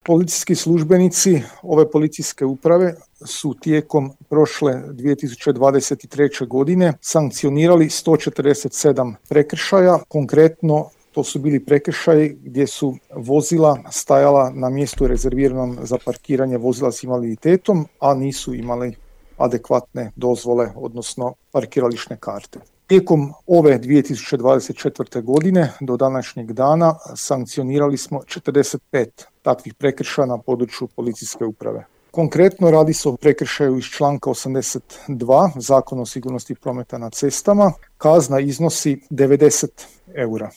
Policijski službenici ove policijske uprave su tijekom prošle 2023. godine sankcionirali 147 prekršaja. Konkretno to su bili prekršaji gdje su vozila stajala na mjestu rezerviranom za parkiranje vozila s invaliditetom, a nisu imali adekvatne dozvole, odnosno parkirališne karte. Tijekom ove 2024. godine do današnjeg dana sankcionirali smo 45 takvih prekršaja na području policijske uprave. Konkretno radi se o prekršaju iz članka 82 Zakona o sigurnosti prometa na cestama. Kazna iznosi 90 eura.